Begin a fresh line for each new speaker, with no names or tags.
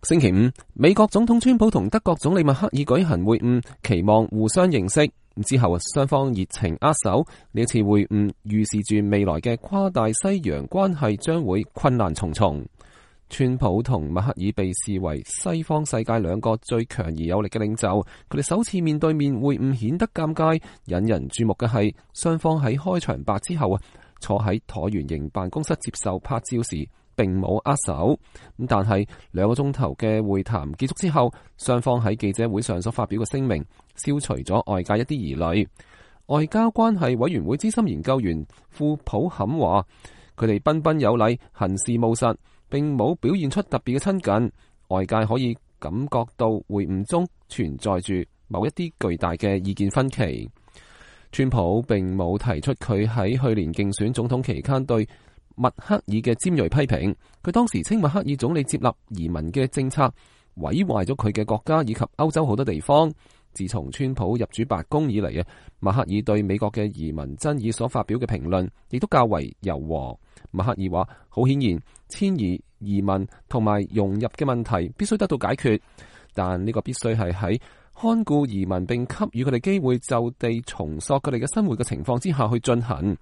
星期五，美國總統川普同德國總理默克爾舉行會晤，期望互相認識。之後雙方熱情握手。呢一次會晤預示住未來嘅跨大西洋關係將會困難重重。川普同默克爾被視為西方世界兩個最強而有力嘅領袖，佢哋首次面對面會晤顯得尷尬。引人注目嘅係，雙方喺開場白之後坐喺橢圓形辦公室接受拍照時並冇握手。但係2個鐘頭嘅會談結束之後，雙方喺記者會上所發表嘅聲明消除咗外界一啲疑慮。外交關係委員會資深研究員庫普坎話，佢哋彬彬有禮，行事務實，並冇表現出特別嘅親近。外界可以感覺到會晤中存在住某一啲巨大嘅意見分歧。川普並冇提出佢喺去年競選總統期間對默克爾嘅尖銳批評。佢當時稱默克爾總理接納移民嘅政策毀壞咗佢嘅國家以及歐洲好多地方。自從川普入主白宮以嚟，默克爾對美國嘅移民爭議所發表嘅評論亦都較為柔和。默克爾話，好顯然遷移、移民同埋融入嘅問題必須得到解決，但呢個必須係喺看顧移民並給予佢哋機會就地重塑佢哋嘅生活嘅情況之下去進行。